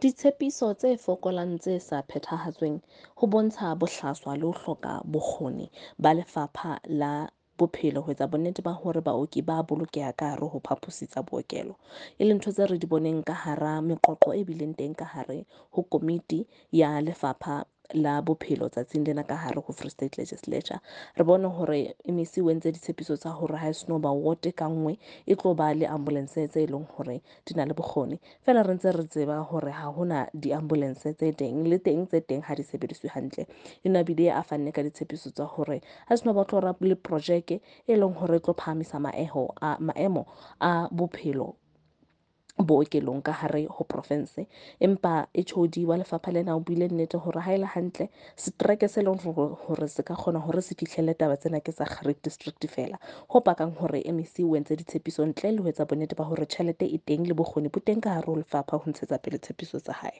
Ditshepiso tse fokolang tse sa phethahatsweng ho bontsha bohlaswa le ho hloka bokgoni ba lefapha la bophelo ho etsa bonnete ba hore baoki ba bolokeha ka hare ho phaphosi tsa bookelo, e leng ntho tse re di boneng ka hara meqoqo e bileng teng ka hare ho komiti ya lefapha la bophelo tsatsing lena ka hare ho Free State Legislature. Re bone hore MEC o entse ditshepiso tsa hore ha e seno ba wote ka nngwe e tlo ba le ambulance tse leng hore di na le bokgoni. Feela re ntse re tseba hore ha hona di-ambulance tse teng, le teng tse teng ha di sebediswe hantle. E na bile a fanne ka ditshepiso tsa hore ha seno ba tlo le projeke e leng hore e tlo phahamisa maemo a bophelo bookelong ka hare ho province. Empa HOD wa lefapha lena o buile nnete hore ha e le hantle setereke se leng hore se ka kgona hore se fihlelle taba tsena ke sa Xhariep District feela, ho pakang hore MEC o entse ditshepiso ntle le ho etsa bonnete ba hore tjhelete e teng le bokgoni bo teng ka hare ho lefapha ho ntshetsa pele tshepiso tsa hae.